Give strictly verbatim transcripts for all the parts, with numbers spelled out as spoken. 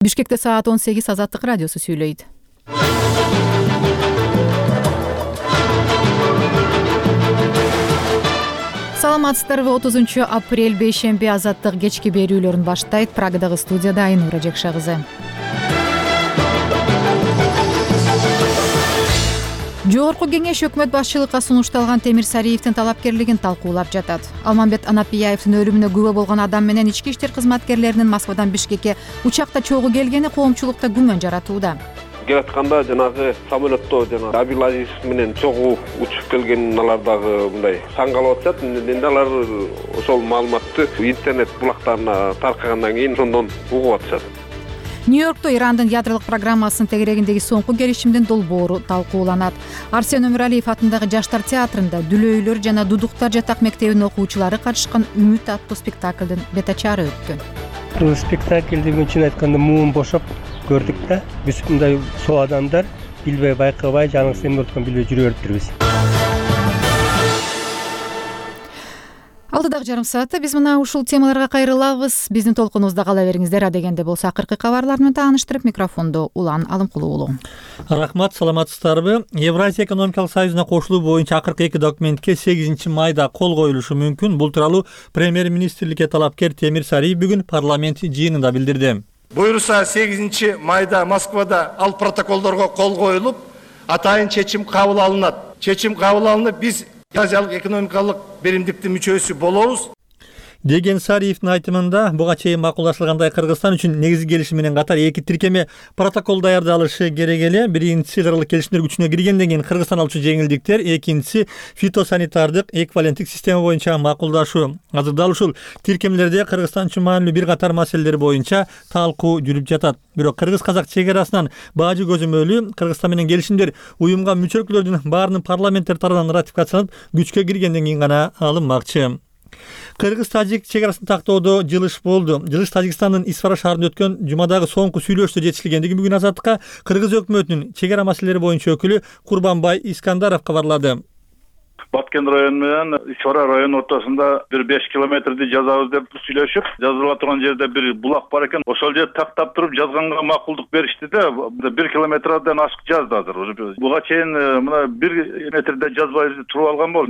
Бишкекте саат он сегиз Азаттык радиосу сүйлөйт. Саламатсыздарбы? отузунчу апрель бейшемби Азаттык кечки берүүлөрүн баштайт. Прагадагы студияда Айнура Жекша кызы. Жогорку кеңеш өкмөт башчылыкка сунушталган Темир Сариевдин талапкерлигин талкуулап жатат. Алмамбет Анапияевдин өлүмүнө күбө болгон адам менен ички иштер кызматкерлеринин Москвадан Бишкекке учакта чогуу келгени коомчулукта күмөн жаратууда. Келатканда жанагы самолетто жана Абилазиз менен чогуу учуп келген алар дагы мындай таң калып атышат. Эми алар ошол маалыматты интернет булактарына таркагандан кийин ошондон угуп атышат. Нью-Йоркто Ирандын ядролук программасынын тегерегиндеги соңку келишимдин долбоору талкууланат. Арсен Өмүралиев атындагы Жаштар театрында Дүлөйлөр жана Дудуктар жатак мектебинин окуучулары катышкан Үмүт аттуу спектаклдын бет ачаары өткөн. Бул спектакльди чын айтканда муун бошоп көрдүк да. Биз мындай соо адамдар билбей байкабай жаныбызды эмне болуп атканын билбей жүрө бериптирбиз. Алдыдагы жарым саатта биз мына ушул темаларга кайрылабыз. Биздин толкунубузда кала бериңиздер. Адегенде болсо акыркы кабарлар менен тааныштырып, микрофонду Улан Алымкулуу уулу. Рахмат, саламатсыздарбы? Евразия экономикалык союзуна кошулуу боюнча акыркы эки документке сегизинчи майда кол коюлушу мүмкүн. Бул тууралуу премьер-министрликке талапкер Темир Сариев бүгүн парламент жыйынында билдирди. Буйруса сегизинчи майда Москвада ал протоколдорго кол коюлуп, атайын чечим кабыл алынат. Чечим кабыл алынып, биз Евразиялык экономикалык беримдиктин мүчөсү болобуз деген Сариевдин айтымында буга чейин макулдашылгандай Кыргызстан үчүн негизги келишим менен катар эки тиркеме протокол даярдалышы керек эле. Биринчиси кыргызча келишимдер күчүнө киргенден кийин Кыргызстан алчу жеңилдиктер, экинчиси фитосанитардык эквиваленттик система боюнча макулдашуу. Азырда ушул тиркемелерде Кыргызстан үчүн маанилүү бир катар маселелер боюнча талкуу жүрүп жатат. Бирок кыргыз-казак чек арасынан баажы көзөмөлү Кыргызстан менен келишимдер уюмга мүчө өлкөлөрдүн баарынын парламенттер тарабынан ратификацияланып күчкө киргенден кийин гана алынмакчы. Кыргыз-тажик чек арасын тактоодо жылыш болду. Жылыш Тажикстандын Исфара шаарында өткөн жумадагы соңку сүйлөшүүдө жетишилгендиги бүгүн Азаттыкка Кыргыз өкмөтүнүн чек ара маселелери боюнча өкүлү Курбанбай Искандаров кабарлады. Баткен району менен Исфара району ортосунда бир беш километрди жазабыз деп сүйлөшүп, жазыла турган жерде бир булак бар экен. Ошол жерди тактап туруп жазганга макулдук беришти да, бир километрден ашык жазды азыр. Буга чейин мына бир метрде жазбай туруп алган болду.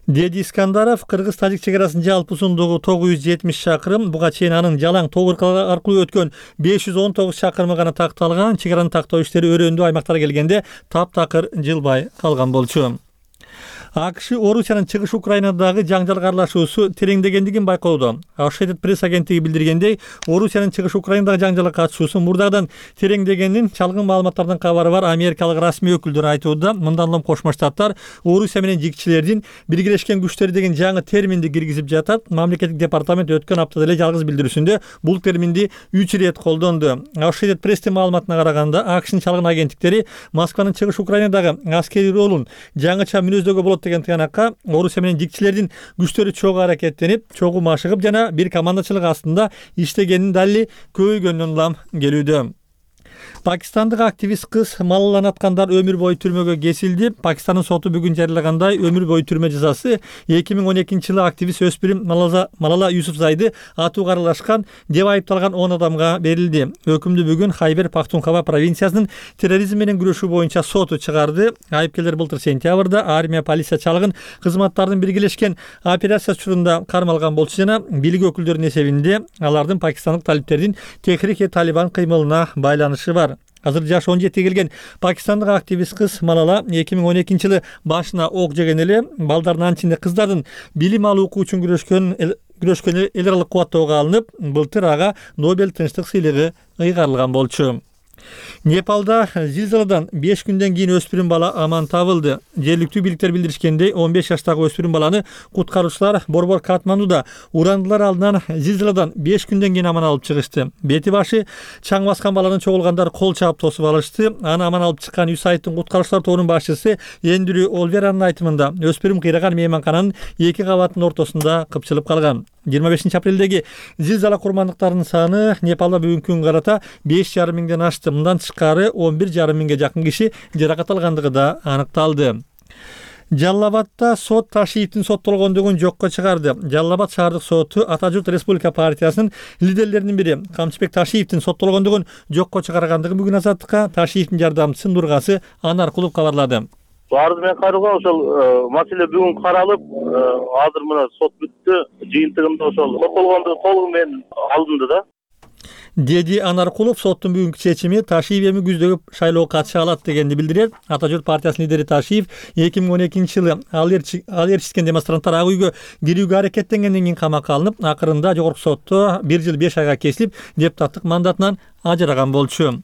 Деди Искандаров, кыргыз-тажик чек арасынын жалпы узундугу тогуз жүз жетимиш чакырым, буга чейин анын жалаң тог аркылуу өткөн беш жүз он тогуз чакырымы гана такталган. Чек араны тактоо иштери өрөөндүү аймактарга келгенде таптакыр жылбай калган болчу. АКШ Орусиянын чыгыш Украинадагы жаңжалга аралашуусу тереңдегендигин байкоодо. Associated Press агенттиги билдиргендей, Орусиянын чыгыш Украинадагы жаңжалга катышуусу мурдагыдан тереңдегенин чалгын маалыматтардан кабары бар америкалык расмий өкүлдөр айтууда. Мындан улам Кошмо Штаттар Орусия менен жигчилердин биргелешкен күчтөр деген жаңы терминди киргизип жатат. Мамлекеттик департамент өткөн аптада эле жалгыз билдирүүсүндө бул терминди үч ирет колдонду. Associated Presстин маалыматына караганда, АКШнын чалгын агенттиктери Москванын чыгыш Украинадагы аскерий ролун жаңыча мүнөздөгө болот деген тыянакка Орусия менен жигчилердин күчтөрү чогуу аракеттенип, чогуу машыгып жана бир командачылык астында иштегенин дали көйгөндөн улам келүүдө. Пакистандык активист кыз Малала аткандар өмүр бою түрмөгө кесилди. Пакистандын соту бүгүн жарыялагандай өмүр бою түрмө жазасы эки миң он экинчи жылы активист өспүрүм Малала Малала Юсуфзайды атууга аралашкан деп айыпталган он адамга берилди. Өкүмдү бүгүн Хайбер Пахтунхва провинциясынын терроризм менен күрөшүү боюнча соту чыгарды. Айыпкерлер былтыр сентябрда армия, полиция, чалгын кызматтардын биргелешкен операциясы учурунда кармалган болчу жана бийлик өкүлдөрүнүн эсебинде алардын пакистандык талиптердин Техрик-и-Талибан кыймылына байланышы бар. Азыр жашы он жетиге келген пакистандык активист кыз Малала эки миң он экинчи жылы башына ок жеген эле. Балдардын анчинде кыздардын билим алуу укугу үчүн күрөшкөн күрөшкөн эл аралык кубаттоого алынып, былтыр ага Нобель тынчтык сыйлыгы ыйгарылган болчу. Непалда зилзаладан беш күндөн кийин өспүрүм бала аман табылды. Жергиликтүү бийликтер билдиришкендей, он беш жаштагы өспүрүм баланы куткаруучулар борбор Катмандуда урандылар алдынан зилзаладан беш күндөн кийин аман алып чыгышты. Бети башы чаң баскан баланын чогулгандар кол чаап тосуп алышты. Аны аман алып чыккан ю сайттын куткаруучулар тобунун башчысы Эндрю Олверанын айтымында, өспүрүм кыйраган мейманкананын эки кабатынын ортосунда кыпчылып калган. жыйырма бешинчи апрелдеги зилзала курмандыктарынын саны Непалда бүгүнкү күнгө карата беш жарым миңден ашты. Мындан тышкары он бир жарым миңге жакын киши жаракат алгандыгы да аныкталды. Жалал Абадда сот Ташиевдин соттолгондугун жокко чыгарды. Жалал Абад шаардык соту Ата журт Республика партиясынын лидерлеринин бири Камчыбек Ташиевдин соттолгондугун жокко чыгаргандыгын бүгүн Азаттыкка Ташиевдин жардамчысы Нургасы Анаркулов кабарлады. Арыз менен кайрылган ошол маселе бүгүн каралып, азыр мына сот бүттү, жыйынтыгында ошол соттолгондугу толугу менен алынды да. Деди Анаркулов соттун бүгүнкү чечими Ташиев эми күздөгү шайлоого катыша алат дегенди билдирет. Ата журт партиясынын лидери Ташиев эки миң он экинчи жылы ал ээрчиткен демонстранттар ак үйгө кирүүгө аракеттенгенден кийин камакка алынып, акырында жогорку сотто бир жыл беш айга кесилип, депутаттык мандатынан ажыраган болчу.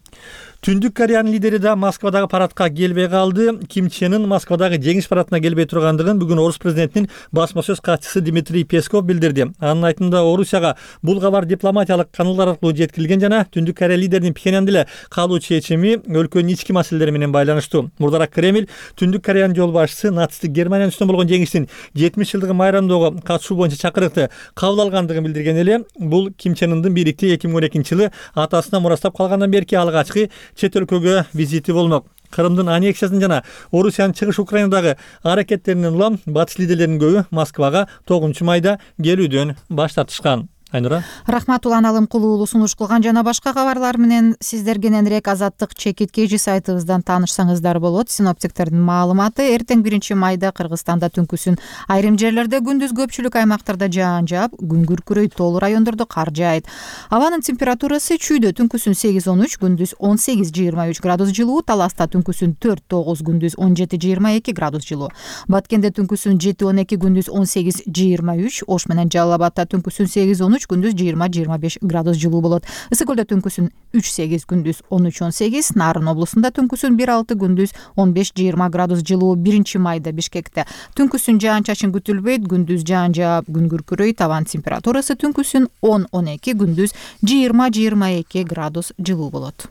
Түндүк Кореянын лидери да Москвадагы парадка келбей калды. Ким Чен Ын Москвадагы жеңиш парадына келбей тургандыгын бүгүн Орус президентинин басма сөз катчысы Дмитрий Песков билдирди. Анын айтымында Орусияга бул кабар дипломатиялык каналдар аркылуу жеткирилген жана Түндүк Корея лидеринин Пхеньянда эле калуу чечими өлкөнүн ички маселелери менен байланыштуу. Мурдараак Кремль Түндүк Кореянын жол башчысы нацисттик Германиянын үстүнөн болгон жеңиштин жетимиш жылдыгын майрамдоого катышуу боюнча чакырыкты кабыл алгандыгын билдирген эле. Бул Ким Чен Ындын бийликти эки миң он экинчи жылы атасына мурастап калгандан берки алгачкы чет өлкөгө визити болмок. Кырымдын аннексиясын жана Орусиянын чыгыш Украинадагы аракеттеринен улам батыш лидерлеринин көбү Москвага тогузунчу майда келүүдөн баш тартышкан. Айнура. Рахмат Улан Алымкулуу уулу сунуш кылган жана башка кабарлар менен сиздер кененирээк Азаттык чекит кежи сайтыбыздан таанышсаңыздар болот. Синоптиктердин маалыматы эртең биринчи майда Кыргызстанда түнкүсүн айрым жерлерде, күндүз көпчүлүк аймактарда жаан жаап, күн күркүрөйт, тоолуу райондордо кар жаайт. Абанын температурасы чүйдө түнкүсүн сегиз он үч, күндүз он сегиз жыйырма үч градус жылуу, Таласта түнкүсүн төрт тогуз, күндүз он жети жыйырма эки градус жылуу. Баткенде түнкүсүн жети он эки, күндүз он сегиз жыйырма үч, Ош менен Жалал Абадта түнкүсүн сегиз он үч, күндүз жыйырма жыйырма беш градус жылуу болот. Ысык көлдө түнкүсүн үч сегиз, күндүз он үч он сегиз, Нарын облусунда түнкүсүн бир алты, күндүз он беш жыйырма градус жылуу. биринчи майда Бишкекте түнкүсүн жаан чачын күтүлбөйт, күндүз жаан жаап, күн күркүрөйт, абан температурасы түнкүсүн он он эки, күндүз жыйырма жыйырма эки градус жылуу болот.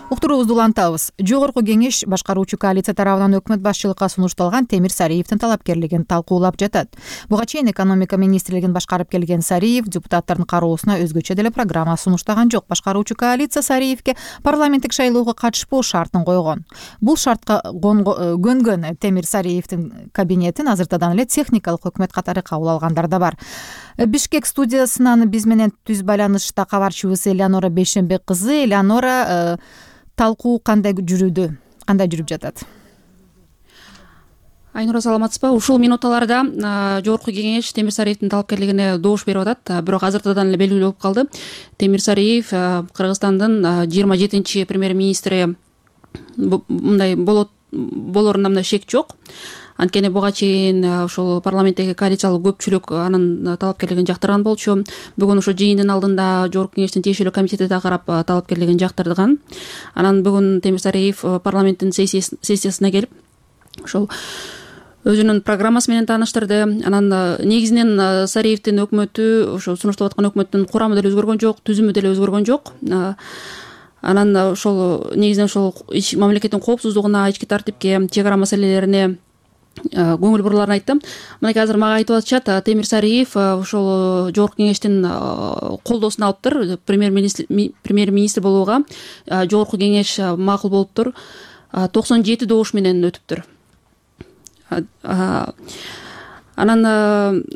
Уктуруубузду улантабыз. Жогорку кеңеш башкаруучу коалиция тарабынан өкмөт башчылыкка сунушталган Темир Сариевдин талапкерлигин талкуулап жатат. Буга чейин экономика министрлигин башкарып келген Сариев депутаттардын кароосуна өзгөчө деле программа сунуштаган жок. Башкаруучу коалиция Сариевге парламенттик шайлоого катышпоо шартын койгон. Бул шартка көнгөн Темир Сариевдин кабинетин азыртадан эле техникалык өкмөт катары кабыл алгандар да бар. Бишкек студиясынан биз менен түз байланышта кабарчыбыз Элеонора Бейшенбек кызы. Элеонора, талкуу кандай жүрүүдө, кандай жүрүп жатат? Айнура, саламатсызбы? Ушул минуталарда жогорку кеңеш Темир Сариевдин талапкерлигине добуш берип атат. Бирок азыртадан эле белгилүү болуп калды. Темир Сариев Кыргызстандын жыйырма жетинчи премьер-министри мындай болот болоруна мындай шек жок. Анткени буга чейин ошол парламенттеги коалициялык көпчүлүк анын талапкерлигин жактырган болчу. Бүгүн ошо жыйындын алдында жогорку кеңештин тиешелүү комитети да карап талапкерлигин жактырган. Анан бүгүн Темир Сариев парламенттин сессиясына келип ошол өзүнүн программасы менен тааныштырды. Анан негизинен Сариевдин өкмөтү, ошо сунушталып аткан өкмөттүн курамы деле өзгөргөн жок, түзүмү деле өзгөргөн жок. Анан ошол негизинен ошол мамлекеттин коопсуздугуна, ички тартипке, чек ара маселелерине көңүл бурууларын айтты. Мынакей азыр мага айтып атышат, Темир Сариев ошол жогорку кеңештин колдоосун алыптыр, премьер-министр премьер-министр болууга жогорку кеңеш макул болуптур. токсон жети добуш менен өтүптүр. Анан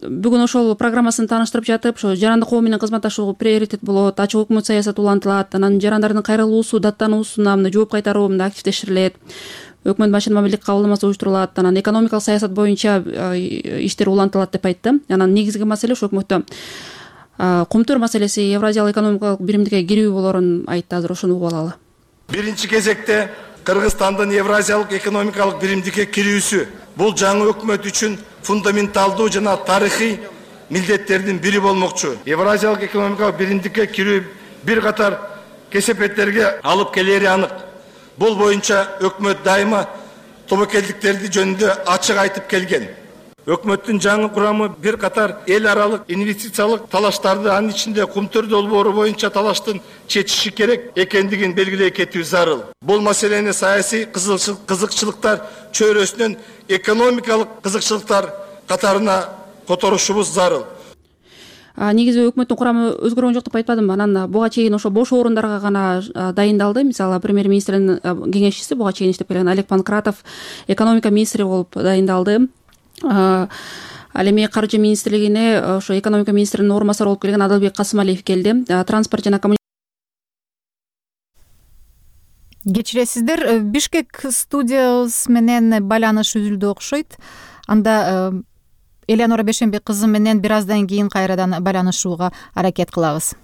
бүгүн ошол программасын тааныштырып жатып, ошо жарандык коо менен кызматташуу приоритет болот, ачык өкмөт саясаты улантылат, анан жарандардын кайрылуусу, даттануусуна жооп кайтаруу активдештирилет. Өкмөт башчынын мамилдик кабылдамасы уюштурулат, анан экономикалык саясат боюнча иштер улантылат деп айтты. Анан негизги маселе ошо өкмөттө кумтөр маселеси, Евразиялык экономикалык биримдикке кирүү болорун айтты. Азыр ошону угуп алалы. Биринчи кезекте Кыргызстандын Евразиялык экономикалык биримдикке кирүүсү бул жаңы өкмөт үчүн фундаменталдуу жана тарыхый милдеттердин бири болмокчу. Евразиялык экономикалык биримдикке кирүү бир катар кесепеттерге алып келери анык. Бул боюнча өкмөт дайыма тобокелдиктерди жөнүндө ачык айтып келген. Өкмөттүн жаңы курамы бир катар эл аралык инвестициялык талаштарды, анын ичинде кумтөр долбоору боюнча талаштын чечиши керек экендигин белгилей кетүү зарыл. Бул маселени саясий кызыкчылыктар чөйрөсүнөн экономикалык кызыкчылыктар катарына которушубуз зарыл. негизи өкмөттүн курамы өзгөргөн жок деп айтпадымбы? Анан буга чейин ошо бош орундарга гана дайындалды. Мисалы премьер-министрдин кеңешчиси буга чейин иштеп келген Олег Панкратов экономика министри болуп дайындалды. Ал эми каржы министрлигине ошо экономика министринин орун басары болуп келген Адалбек Касымалиев келди. Транспорт жана Кечиресиздер, Бишкек студиябыз менен байланыш үзүлдү окшойт. Анда Элеонора Бешенбек кызы менен бир аздан кийин кайрадан байланышууга аракет кылабыз.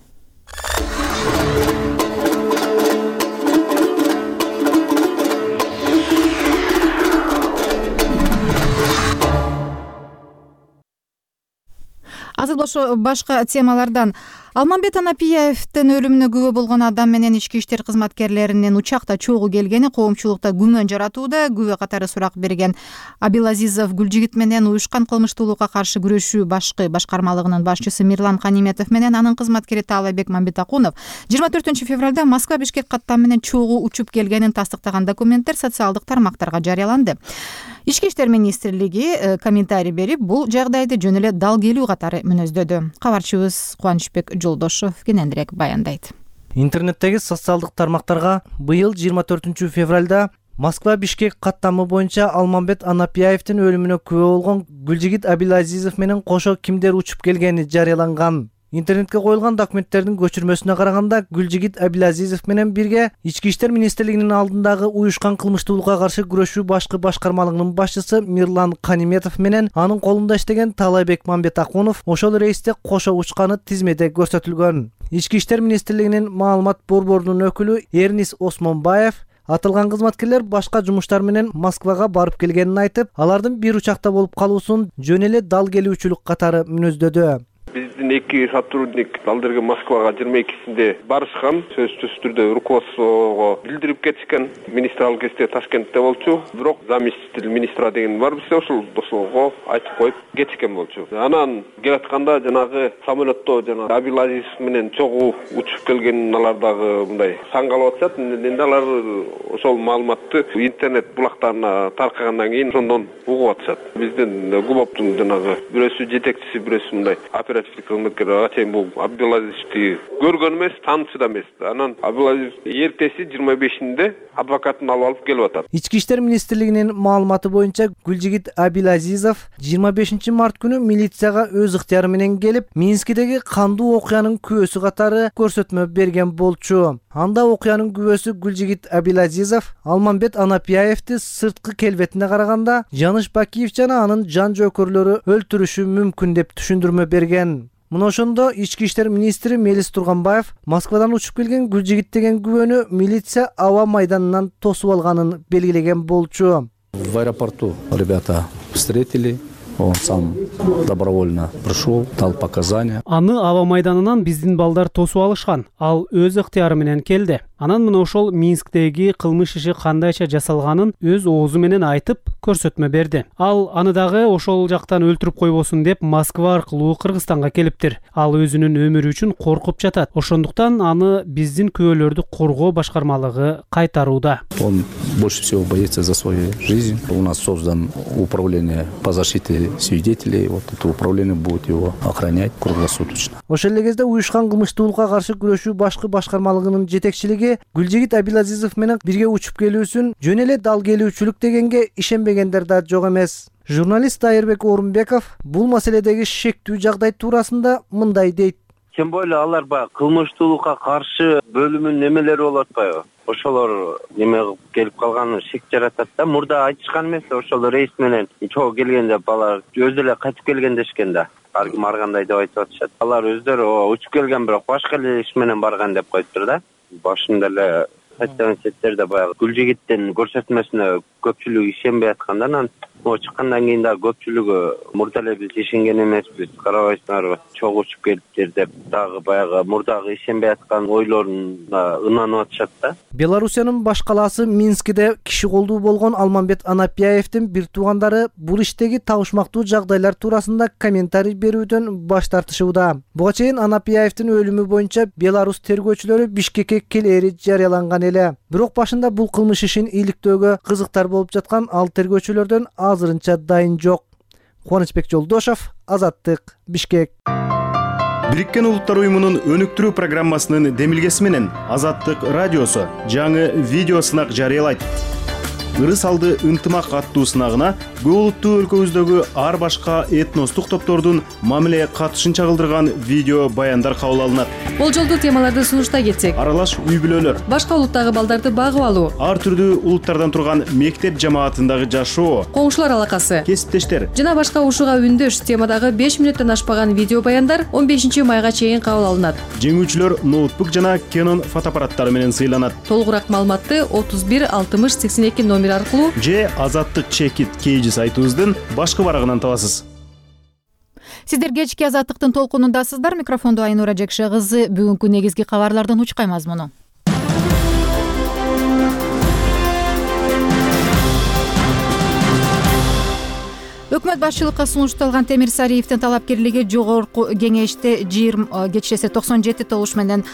Азыр ошо башка темалардан Алмамбет Анапияевдин өлүмүнө күбө болгон адам менен ички иштер кызматкерлеринин учакта чогуу келгени коомчулукта күмөн жаратууда. Күбө катары сурак берген Абилазизов Гүлжигит менен уюшкан кылмыштуулукка каршы күрөшүү башкы башкармалыгынын башчысы Мирлан Каниметов менен анын кызматкери Таалайбек Мамбетакунов жыйырма төртүнчү февралда Москва Бишкек каттам менен чогуу учуп келгенин тастыктаган документтер социалдык тармактарга жарыяланды. Ички иштер министрлиги комментарий берип, бул жагдайды жөн эле дал келүү катары мүнөздөдү. Кабарчыбыз Кубанычбек Жолдошов кененирээк баяндайт. Интернеттеги социалдык тармактарга быйыл жыйырма төртүнчү февралда Москва Бишкек каттамы боюнча Алмамбет Анапияевдин өлүмүнө күбө болгон Гүлжигит Абилазизов менен кошо кимдер учуп келгени жарыяланган. Интернетке коюлган документтердин көчүрмөсүнө караганда Гүлжигит Абилазизов менен бирге Ички иштер министрлигинин алдындагы уюшкан кылмыштуулукка каршы күрөшүү башкы башкармалыгынын башчысы Мирлан Каниметов менен анын колунда иштеген Таалайбек Мамбетакунов ошол рейсте кошо учканы тизмеде көрсөтүлгөн. Ички иштер министрлигинин маалымат борборунун өкүлү Эрнис Осмонбаев атылган кызматкерлер башка жумуштар менен Москвага барып келгенин айтып, алардын бир учакта болуп калуусун жөн эле дал келүүчүлүк катары мүнөздөдү. Биздин эки сотрудник алдыргы Москвага жыйырма экисинде барышкан, сөзсүз түрдө руководствого билдирип кетишкен. Министр ал кезде Ташкентте болчу, бирок заместитель министра деген бар бизде, ошол досого айтып коюп кетишкен болчу. Анан келатканда жанагы самолетто жанагы Абилазизов менен чогуу учуп келгенин алар дагы мындай саңгалап атышат. Эми алар ошол маалыматты интернет булактарына таркагандан кийин ошондон угуп атышат. Биздин ГУБОПтун жанагы бирөөсү жетекчиси, бирөөсү мындай кызматкер ага чейин бул Абилазизовду көргөн эмес, таанычы да эмес. Анан Абилазизов эртеси жыйырма бешинде адвокатын алып алып келип атат. Ички иштер министрлигинин маалыматы боюнча Гүлжигит Абилазизов жыйырма бешинчи март күнү милицияга өз ыктыяры менен келип, Минскидеги кандуу окуянын күбөсү катары көрсөтмө берген болчу. Анда окуянын күбөсү Гүлжигит Абилазизов Алмамбет Анапияевди сырткы келбетине караганда Жаныш Бакиев жана анын жан жөөкөрлөрү өлтүрүшү мүмкүн деп түшүндүрмө берген. Мына ошондо ички иштер министри Мелис Турганбаев Москвадан учуп келген Гүлжигит деген күбөнү милиция аба майданынан тосуп алганын белгилеген болчу. В аэропорту ребята встретили. Он сам добровольно пришел, дал показания. Аны аба майданынан биздин балдар тосуп алышкан. Ал өз ыктыяры менен келди. Анан мына ошол Минсктеги кылмыш иши кандайча жасалганын өз оозу менен айтып көрсөтмө берди. Ал аны дагы ошол жактан өлтүрүп койбосун деп Москва аркылуу Кыргызстанга келиптир. Ал өзүнүн өмүрү үчүн коркуп жатат. Ошондуктан аны биздин күбөлөрдү коргоо башкармалыгы кайтарууда. Он больше всего боится за свою жизнь. У нас создан управление по защите свидетелей. Вот это управление будет его охранять круглосуточно. Ошол эле кезде уюшкан кылмыштуулукка каршы күрөшүү башкы башкармалыгынын жетекчилиги Гүлжигит Абилазизов менен бирге учуп келүүсүн жөн эле дал келүүчүлүк дегенге ишенбегендер да жок эмес. Журналист Айырбек Орунбеков бул маселедеги шектүү жагдай туурасында мындай дейт. Тем более алар баягы кылмыштуулукка каршы бөлүмүнүн немелери болот атпайбы? Ошолор неме кылып келип калганы шек жаратат да. Мурда айтышкан эмес, ошол рейс менен чогуу келгенде балар өзү эле кайтып келген дешкен да. Ар ким ар кандай деп айтып атышат. Алар өздөрү учуп келген, бирок башка эле иш менен барган деп коюптур да. Башында эле кайткан четтерде баягы Гүлжигиттин көрсөтмөсүнө көпчүлүк ишенбей атканда, анан о чыккандан кийин дагы көпчүлүгү мурда эле биз ишенген эмеспиз, карабайсыңарбы, чогуу учуп келиптир деп дагы баягы мурдагы ишенбей аткан ойлоруна ынанып атышат да. Белоруссиянын баш калаасы Минскиде киши колдуу болгон Алмамбет Анапияевдин бир туугандары бул иштеги табышмактуу жагдайлар туурасында комментарий берүүдөн баш тартышууда. Буга чейин Анапияевдин өлүмү боюнча Беларусь тергөөчүлөрү Бишкекке келери жарыяланган эле. Бирок башында бул кылмыш ишин иликтөөгө кызыктар болуп жаткан ал тергөөчүлөрдөн азырынча дайын жок. Кубанычбек Жолдошов, Азаттык, Бишкек. Бириккен Улуттар уюмунун өнүктүрүү программасынын демилгеси менен Азаттык радиосу жаңы видео сынак жарыялайт. Ырыс алды ынтымак аттуу сынагына көп улуттуу өлкөбүздөгү ар башка этностук топтордун мамиле катышын чагылдырган видео баяндар кабыл алынат. Болжолдуу темаларды сунуштай кетсек: аралаш үй бүлөлөр, башка улуттагы балдарды багып алуу, ар түрдүү улуттардан турган мектеп жамаатындагы жашоо, коңшулар алакасы, кесиптештер жана башка ушуга үндөш темадагы беш мүнөттөн ашпаган видео баяндар он бешинчи майга чейин кабыл алынат. Жеңүүчүлөр ноутбук жана Canon фотоаппараттары менен сыйланат. Толугураак маалыматты отуз бир алтымыш сексен эки номер аркылуу же Азаттык чекит кейжи сайтыбыздын башкы барагынан табасыз. Сиздер кечки Азаттыктын толкунундасыздар. Микрофондо Айнура Жекше кызы. Бүгүнкү негизги кабарлардын учкай мазмуну. Өкмөт башчылыкка сунушталган Темир Сариевдин талапкерлиги жогорку кеңеште жыйырма кечирсе токсон жети добуш менен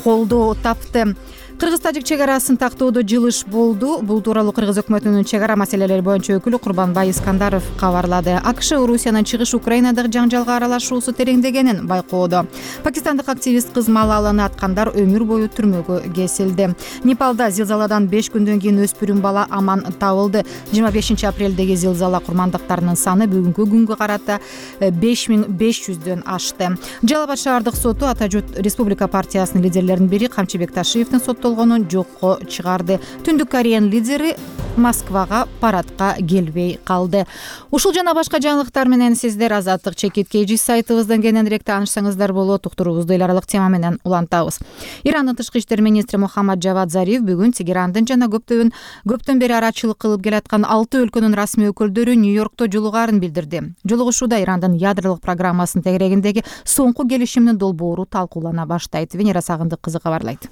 колдоо тапты. Кыргыз-тажик чек арасын тактоодо жылыш болду. Бул тууралуу Кыргыз өкмөтүнүн чек ара маселелери боюнча өкүлү Курбанбай Искандаров кабарлады. АКШ Орусиянын чыгыш Украинадагы жаңжалга аралашуусу тереңдегенин байкоодо. Пакистандык активист кыз Малаланы аткандар өмүр бою түрмөгө кесилди. Непалда зилзаладан беш күндөн кийин өспүрүм бала аман табылды. жыйырма бешинчи апрелдеги зилзала курмандыктарынын саны бүгүнкү күнгө карата беш миң беш жүздөн ашты. Жалал Абад шаардык соту Ата журт Республика партиясынын лидерлеринин бири Камчыбек Ташиевдин сот жокко чыгарды. Түндүк Кореянын лидери Москвага парадка келбей калды. Ушул жана башка жаңылыктар менен сиздер Азаттык чекит кейжи сайтыбыздан кененирээк таанышсаңыздар болот. Уктуруубузду эл аралык тема менен улантабыз. Ирандын тышкы иштер министри Мухаммад Жавад Зариф бүгүн Тегерандын жана көптөн көптөн бери арачылык кылып келаткан алты өлкөнүн расмий өкүлдөрү Нью-Йоркто жолугаарын билдирди. Жолугушууда Ирандын ядролук программасынын тегерегиндеги соңку келишимдин долбоору талкуулана баштайт. Венера Сагындык кызы кабарлайт.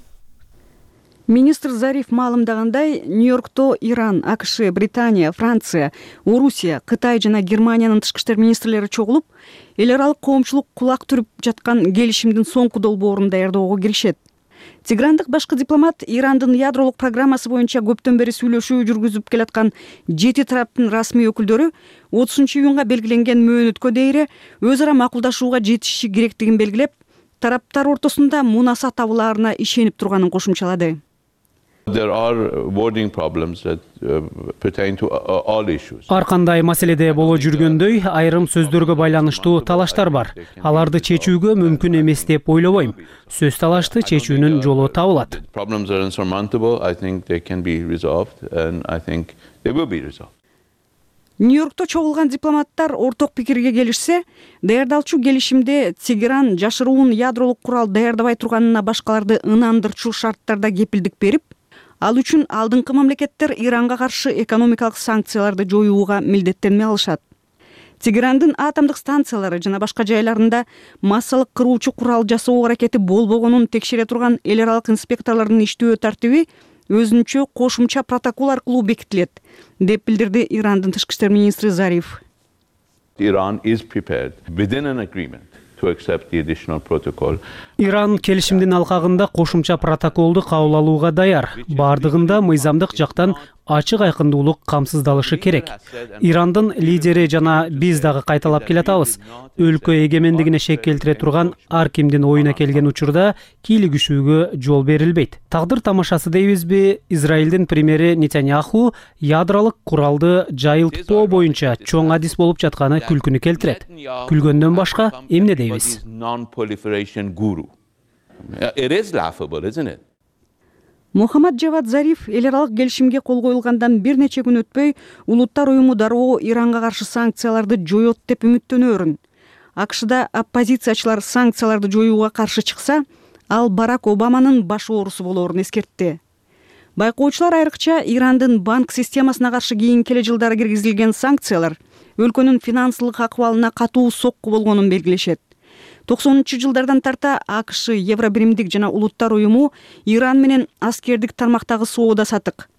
Министр Зариф маалымдагандай, Нью-Йоркто Иран, АКШ, Британия, Франция, Орусия, Кытай жана Германиянын тышкы иштер министрлери чогулуп, эл аралык коомчулук кулак түрүп жаткан келишимдин соңку долбоорун даярдоого киришет. Тегерандык башкы дипломат Ирандын ядролук программасы боюнча көптөн бери сүйлөшүү жүргүзүп келаткан жети тараптын расмий өкүлдөрү отузунчу июнга белгиленген мөөнөткө дейре өз ара макулдашууга жетишиши керектигин белгилеп, тараптар ортосунда мунаса табылаарына ишенип турганын кошумчалады. There are wording problems that uh, pertain to all issues. Ар кандай маселеде боло жүргөндөй, айрым сөздөргө байланыштуу талаштар бар. Аларды чечүүгө мүмкүн эмес деп ойлобойм. Сөз талашты чечүүнүн жолу табылат. Problems are insurmountable. I think they can be resolved and I think they will be resolved. Нью-Йоркто чогулган дипломаттар орток пикирге келишсе, даярдалчу келишимде Тегеран жашыруун ядролук курал даярдабай турганына башкаларды ынандырчу шарттарда кепилдик берип, ал үчүн алдыңкы мамлекеттер Иранга каршы экономикалык санкцияларды жоюуга милдеттенме алышат. Тегерандын атомдук станциялары жана башка жайларында массалык кыруучу курал жасоо аракети болбогонун текшере турган эл аралык инспекторлордун иштөө тартиби өзүнчө кошумча протокол аркылуу бекитилет, деп билдирди Ирандын тышкы иштер министри Зариф. Iran is prepared within an agreement to accept the additional protocol. Иран келишимдин алкагында кошумча протоколду кабыл алууга даяр. Бардыгында мыйзамдык жактан ачык айкындуулук камсыздалышы керек. Ирандын лидери жана биз дагы кайталап келатабыз. Өлкө эгемендигине шек келтире турган ар кимдин оюна келген учурда кийлигишүүгө жол берилбейт. Тагдыр тамашасы дейбизби? Израилдин премьери Нетаньяху ядролук куралды жайылтпоо боюнча чоң адис болуп жатканы күлкүнү келтирет. Күлгөндөн башка эмне дейбиз? It is laughable, isn't it? Мухаммад Жавад Зариф эл аралык келишимге кол коюлгандан бир нече күн өтпөй улуттар уюму дароо Иранга каршы санкцияларды жоет деп үмүттөнөөрүн. АКШда оппозициячылар санкцияларды жоюуга каршы чыкса, ал Барак Обаманын баш оорусу болоорун эскертти. Байкоочулар айрыкча Ирандын банк системасына каршы кийинки эле жылдары киргизилген санкциялар өлкөнүн финансылык акыбалына катуу сокку болгонун белгилешет. токсонунчу жылдардан тарта АКШ, Евробиримдик жана улуттар уюму Иран менен аскердик тармактагы соода сатык.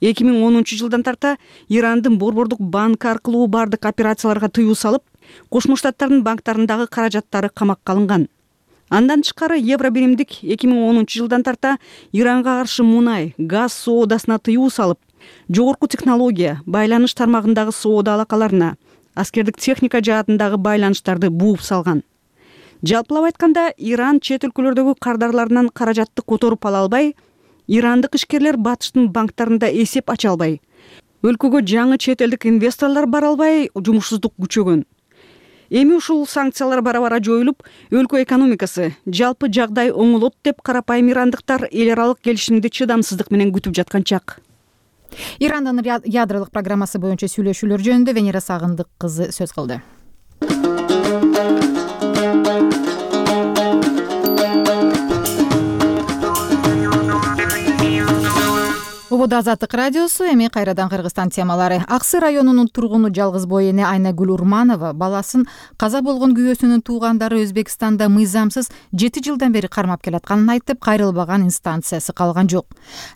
эки миң онунчу жылдан тарта Ирандын борбордук банкы аркылуу бардык операцияларга тыюу салып, Кошмо Штаттардын банктарындагы каражаттары камакка алынган. Андан тышкары Евробиримдик эки миң онунчу жылдан тарта Иранга каршы мунай, газ соодасына тыюу салып, жогорку технология, байланыш тармагындагы соода алакаларына, аскердик техника жаатындагы байланыштарды бууп салган. Жалпылап айтканда, Иран чет өлкөлөрдөгү кардарларынан каражатты которуп ала албай, ирандык ишкерлер батыштын банктарында эсеп ача албай, өлкөгө жаңы чет элдик инвесторлор бара албай, жумушсуздук күчөгөн. Эми ушул санкциялар бара-бара жоюлуп, өлкө экономикасы, жалпы жагдай оңолот деп карапайым ирандыктар эл аралык келишимди чыдамсыздык менен күтүп жаткан чак. Ирандын ядролук программасы боюнча сүйлөшүүлөр жөнүндө Венера Сагындык кызы сөз кылды. Убуда Азаттык радиосу, эми кайрадан Кыргызстан темалары. Аксы районунун тургуну жалгыз бой эне Айнагүл Урманова баласын каза болгон күйөөсүнүн туугандары Өзбекстанда мыйзамсыз жети жылдан бери кармап келатканын айтып, кайрылбаган инстанциясы калган жок.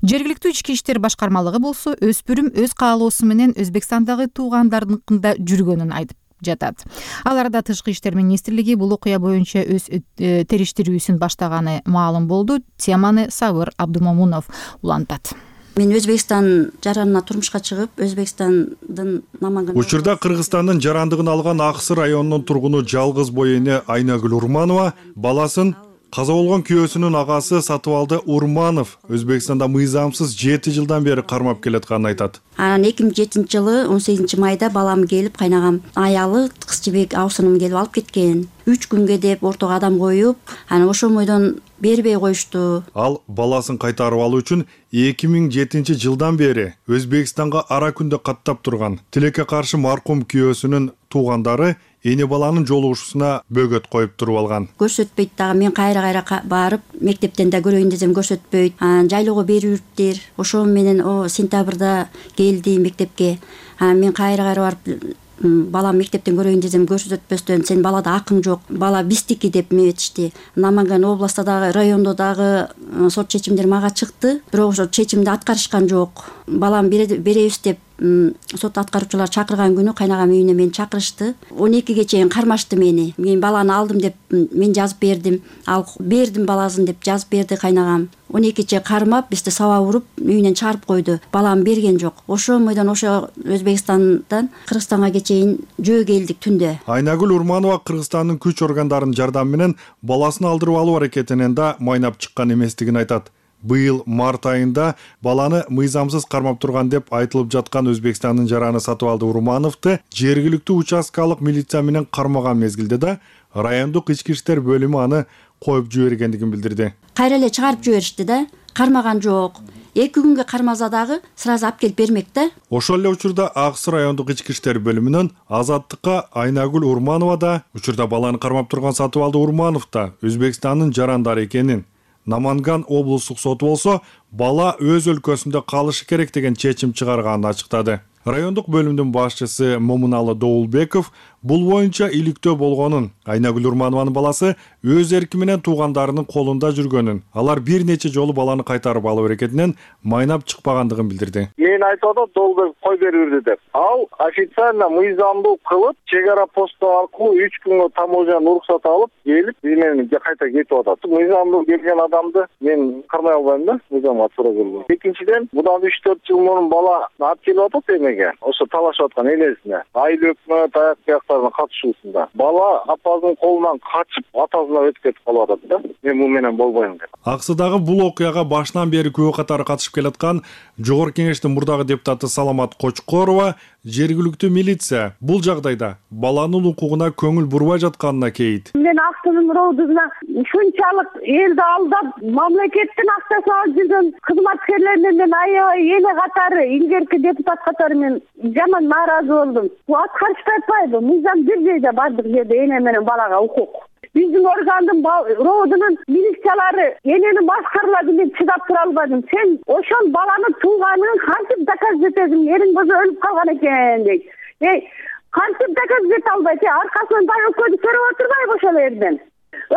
Жергиликтүү ички иштер башкармалыгы болсо өспүрүм өз каалоосу менен Өзбекстандагы туугандарыныкында жүргөнүн айтып жатат. Ал арада Тышкы иштер министрлиги бул окуя боюнча өз териштирүүсүн баштаганы маалым болду. Теманы Сабыр Абдумомунов улантат. Мен Өзбекстан жаранына турмушка чыгып, Өзбекстандын намагын Учурда Кыргызстандын жарандыгын алган Аксы районунун тургуну жалгыз бой эне Айнагүл Урманова баласын каза болгон күйөөсүнүн агасы Сатыбалды Урманов Өзбекстанда мыйзамсыз жети жылдан бери кармап келатканын айтат. Анан эки миң жетинчи жылы он сегизинчи майда балам келип, кайнагам аялы кыз жибек абысыным келип алып кеткен. үч күнгө деп ортого адам коюп, анан ошол бойдон бербей коюшту. Ал баласын кайтарып алуу үчүн эки миң жетинчи жылдан бери Өзбекстанга ара күндө каттап турган. Тилекке каршы маркум күйөөсүнүн туугандары эне баланын жолугушуусуна бөгөт коюп туруп алган. Көрсөтпөйт дагы, мен кайра-кайра барып, мектептен да көрөйүн десем көрсөтпөйт. Анан жайлоого бериптир. Ошол менен о сентябрда келди мектепке. Анан мен кайра-кайра барып балам мектептен көрөйүн десем көрсөтпөстөн сен балада акың жок, бала биздики деп метишти. Наманган областта дагы, райондо дагы сот чечимдер мага чыкты, бирок ошол чечимди аткарышкан жок. Балам беребиз деп сот аткаруучулар чакырган күнү кайнагам үйүнө мени чакырышты. он экиге чейин кармашты мени. Мен баланы алдым деп мен жазып бердим. Ал бердим баласын деп жазып берди кайнагам. он экиче кармап, бизди саба уруп, үйүнөн чыгарып койду. Балам берген жок. Ошол бойдон ошо Өзбекстандан Кыргызстанга чейин жөө келдик түндө. Айнагүл Урманова Кыргызстандын күч органдарынын жардамы менен баласын алдырып алуу аракетинен да майнап чыккан эместигин айтат. Быйыл март айында баланы мыйзамсыз кармап турган деп айтылып жаткан Өзбекстандын жараны Сатыбалды Урмановду жергиликтүү участкалык милиция менен кармаган мезгилде да райондук ички иштер бөлүмү аны коюп жибергендигин билдирди. Кайра эле чыгарып жиберишти да, кармаган жок. эки күнгө кармаса дагы сразу алып келип бермек да. Ошол эле учурда Аксы райондук ички иштер бөлүмүнөн Азаттыкка Айнагүл Урманова да учурда баланы кармап турган Сатыбалды Урманов да Өзбекстандын жарандары экенин, Наманган облустук соту болсо бала өз өлкөсүндө калышы керек деген чечим чыгарганын ачыктады. Райондук бөлүмдүн башчысы Момуналы Доулбеков бул боюнча иликтөө болгонун, Айнагүл Урманованын баласы өз эрки менен туугандарынын колунда жүргөнүн, алар бир нече жолу баланы кайтарып алуу аракетинен майнап чыкпагандыгын билдирди. Мен айтып атам Доулбеков кой берип деп. Ал официально мыйзамдуу кылып, чек ара посту аркылуу үч күнгө таможнядан уруксат алып, келип, менен кайта кетип атат. Мыйзамдуу келген адамды мен кармай албайм да, мыйзамга туура келген. Экинчиден, мындан үч төрт жыл мурун бала алып келип атат эмеге? Ошо талашып аткан энесине. Айыл өкмөт аяк бияктарынын катышуусунда. Бала апасынын колунан качып, атасына өтүп кетип калып атат да. Мен бул менен болбойм деп. Аксыдагы бул окуяга башынан бери күбө катары катышып келаткан Жогорку Кеңештин мурдагы депутаты Саламат Кочкорова жергиликтүү милиция бул жагдайда баланын укугуна көңүл бурбай жатканына кейит. Мен Аксынын роодуна ушунчалык элди алдап, мамлекеттин акчасын алып жүргөн кызматкерлеринен мен аябай эле катары, илгерки депутат катары мен жаман нааразы болдум. Бул аткарышпай атпайбы? Мыйзам бир жерде бардык жерде эне менен балага укук. Биздин органдын роодунун милициялары энени башкарылады, мен чыдап тура албадым. Сен ошол баланы тууганын кантип доказать этесиң? Эриң болсо өлүп калган экен дейт. Эй, кантип доказать эте албайт? Аркасынан бай өкөдү көрүп отурбайбы ошол жерден?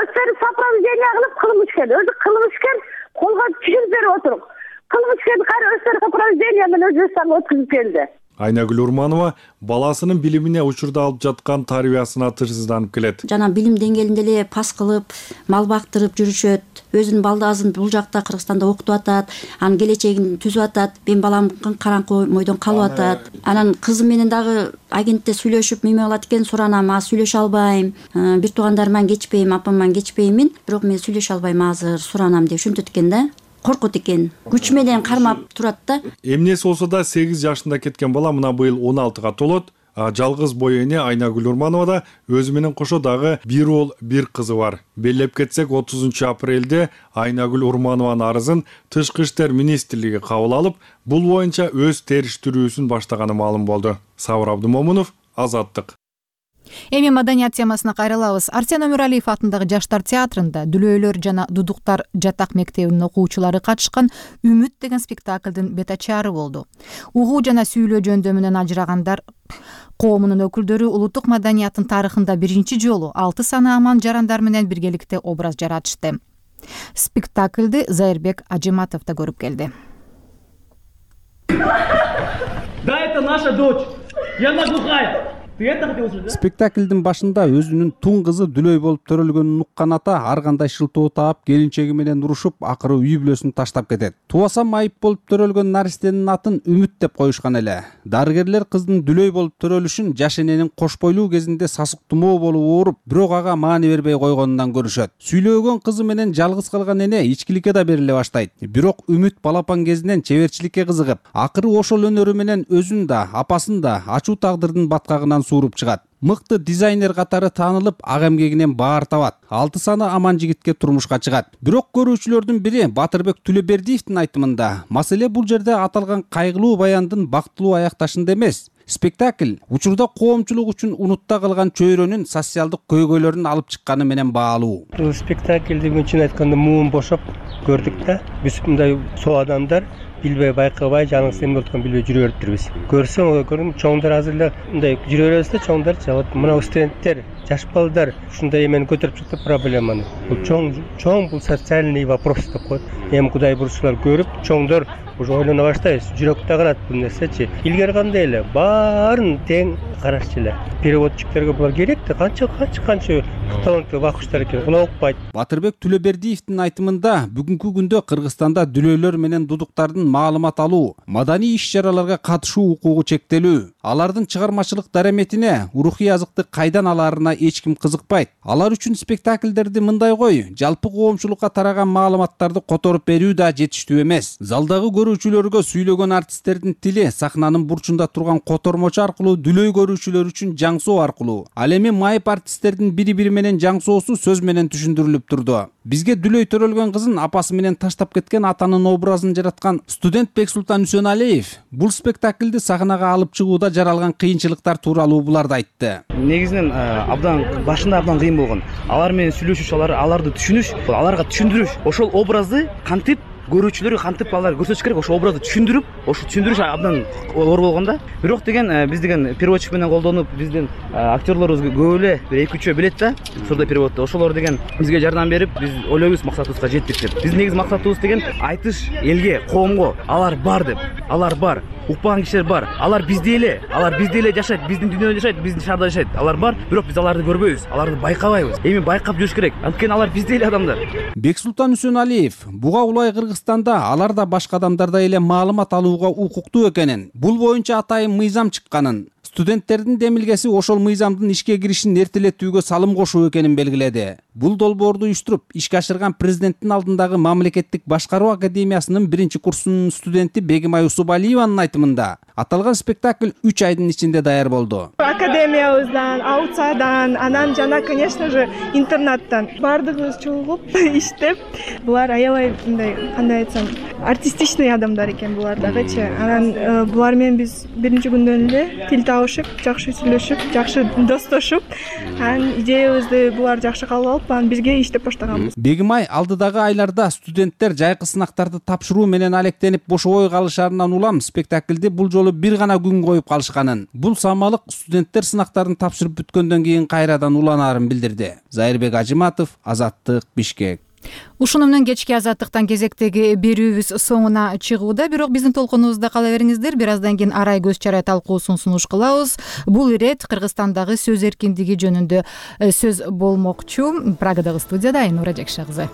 Өздөрү сопровождение кылып кылмышкер, өзү кылмышкер колго түшүрүп берип отурук. Кылмышкерди кайра өздөрү сопровождение менен Өзбекстанга өткүзүп келди. Айнагүл Урманова баласынын билимине учурда алып жаткан тарбиясына тынчсызданып келет. Жана билим деңгээлинде эле пас кылып, мал бактырып жүрүшөт. Өзүнүн балдазын бул жакта Кыргызстанда окутуп атат, анын келечегин түзүп атат. Мен балам караңкы мойдон калып атат. Анан кызым менен дагы агентте сүйлөшүп неме кылат экен, суранам, а сүйлөшө албайм. Бир туугандарыман кечпейм, апаман кечпеймин, бирок мен сүйлөшө албайм азыр, суранам деп ошентет экен да. Коркут экен. Күч менен кармап турат да. Эмнеси болсо да сегиз жашында кеткен бала мына быйыл он алтыга толот. Жалгыз бой эне Айнагүл Урманова да өзү менен кошо дагы бир уул, бир кызы бар. Белгилеп кетсек, отузунчу апрелде Айнагүл Урманованын арызын Тышкы иштер министрлиги кабыл алып, бул боюнча өз териштирүүсүн баштаганы маалым болду. Сабыр Абдымомунов, Азаттык. Эми маданият темасына кайрылабыз. Арсен Өмүралиев атындагы Жаштар театрында Дүлөйлөр жана Дудуктар жатак мектебинин окуучулары катышкан Үмүт деген спектаклдын бет ачаары болду. Угуу жана сүйлөө жөндөмүнөн ажырагандар коомунун өкүлдөрү улуттук маданияттын тарыхында биринчи жолу алты саны аман жарандар менен биргеликте образ жаратышты. Спектаклды Зайырбек Ажиматов да көрүп келди. Да, это наша дочь. И она глухая. Спектаклдин башында өзүнүн тун кызы Дүлөй болуп төрөлгөнүн уккан ата ар кандай шылтоо таап, келинчеги менен урушуп, акыры үй бүлөсүн таштап кетет. Туасам айып болуп төрөлгөн наристенин атын Үмүт деп коюшкан эле. Дарыгерлер кыздын Дүлөй болуп төрөлүшүн жаш эненин кош бойлуу кезинде сасык тумоо болуп ооруп, бирок ага маани бербей койгонунан көрүшөт. Сүйлөгөн кызы менен жалгыз калган эне ичкиликке да бериле баштайт. Бирок Үмүт балапан кезинен чеберчиликке кызыгып, акыры ошол өнөрү менен өзүн да, апасын да ачуу тагдырдын баткагынан сууруп чыгат. Мыкты дизайнер катары таанылып, ак эмгегинен баар табат. Алты саны аман жигитке турмушка чыгат. Бирок көрүүчүлөрдүн бири Батырбек Түлөбердиевдин айтымында, маселе бул жерде аталган кайгылуу баяндын бактылуу аякташында эмес. Спектакль учурда коомчулук үчүн унутта калган чөйрөнүн социалдык көйгөйлөрүн алып чыкканы менен баалуу. Бул спектакльди чын айтканда муун бошоп көрдүк да. Биз мындай соо адамдар билбей байкабай жаныбыз эмне болуп атканын билбей жүрө бериптирбиз. Көрсөң, көрдүм, чоңдор азыр эле мындай жүрө беребиз да, чоңдор жабат. Мына студенттер, жаш балдар ушундай эмени көтөрүп чыкты проблеманы. Бул чоң, чоң бул социальный вопрос деп коет. Эми Кудай бурчулар көрүп, чоңдор уже ойлоно баштайбыз. Жүрөктө калат бул нерсечи. Илгери кандай эле баарын тең карашчу эле. Переводчиктерге булар керек да, канча канча канча таланттуу вакыштар экен. Була укпайт. Батырбек Түлөбердиевдин айтымында, бүгүнкү күндө Кыргызстанда Дүлөйлөр менен Дудуктардын маалымат алуу, маданий иш-чараларга катышуу укугу чектелүү. Алардын чыгармачылык дараметине, рухий азыкты кайдан алаарына эч ким кызыкпайт. Алар үчүн спектакльдерди мындай кой, жалпы коомчулукка тараган маалыматтарды которуп берүү да жетиштүү эмес. Залдагы көрүүчүлөргө сүйлөгөн артисттердин тили сахнанын бурчунда турган котормочу аркылуу Дүлөй көрүүчүлөр үчүн жаңсоо аркылуу, ал эми майып артисттердин бири-бири менен жаңсоосу сөз менен түшүндүрүлүп турду. Бизге Дүлөй төрөлгөн кызын апасы менен таштап кеткен атанын образын жараткан студент Бексултан Үсөналиев бул спектакльди сахнага алып чыгууда жаралган кыйынчылыктар тууралуу буларды айтты. Негизинен абдан башында абдан кыйын болгон. Алар менен сүйлөшүш, алар аларды түшүнүш, аларга түшүндүрүш, ошол образды кантип көрүүчүлөргө кантип алар көрсөтүш керек, ошол образды түшүндүрүп, ошо түшүндүрүш абдан оор болгон да. Бирок деген биз деген переводчик менен колдонуп, биздин актерлорубуз көп эле бир эки үчөө билет да, сурдопереводду. Ошолор деген бизге жардам берип, биз ойлойбуз максатыбызга жеттик деп. Биздин негизи максатыбыз деген айтыш элге, коомго, алар бар деп. Алар бар. Укпаган кишилер бар. Алар бизде эле, алар бизде эле жашайт, биздин дүйнөдө жашайт, биздин шаарда жашайт. Алар бар, бирок биз аларды көрбөйбүз, аларды байкабайбыз. Эми байкап жүрүш керек. Анткени алар бизде эле адамдар. Бексултан Үсөналиев буга улай Кыргызстанда алар да башка адамдардай эле маалымат алууга укуктуу экенин, бул боюнча атайын мыйзам чыкканын, студенттердин демилгеси ошол мыйзамдын ишке киришин эртелетүүгө салым кошуу экенин белгиледи. Бул долбоорду уюштуруп ишке ашырган президенттин алдындагы мамлекеттик башкаруу академиясынын биринчи курсунун студенти Бегимай Усубалиеванын айтымында, аталган спектакль үч айдын ичинде даяр болду. Академиябыздан, аутсайдан, анан жана, конечно же, интернаттан бардыгыбыз чогулуп иштеп, булар аябай мындай, кандай айтсам, артистичный адамдар экен булар дагычы. Анан булар менен биз биринчи күндөн эле тил табышып, жакшы сүйлөшүп, жакшы достошуп, анан идеябызды булар жакшы кабыл алып, анан бизге иштеп баштаганбыз. Бегимай алдыдагы айларда студенттер жайкы сынактарды тапшыруу менен алектенип бошобой калышарынан улам спектакльди бул жолу бир гана күн коюп калышканын, бул самалык студенттер сынактарын тапшырып бүткөндөн кийин кайрадан уланаарын билдирди. Зайырбек Ажиматов, Азаттык, Бишкек. Ушуну менен кечки азаттыктан кезектеги берүүбүз соңуна чыгууда, бирок биздин толкунубузда кала бериңиздер. Бир аздан кийин арай көз чарай талкуусун сунуш кылабыз. Бул ирет Кыргызстандагы сөз эркиндиги жөнүндө сөз болмокчу. Прагадагы студияда Айнура Жакша кызы.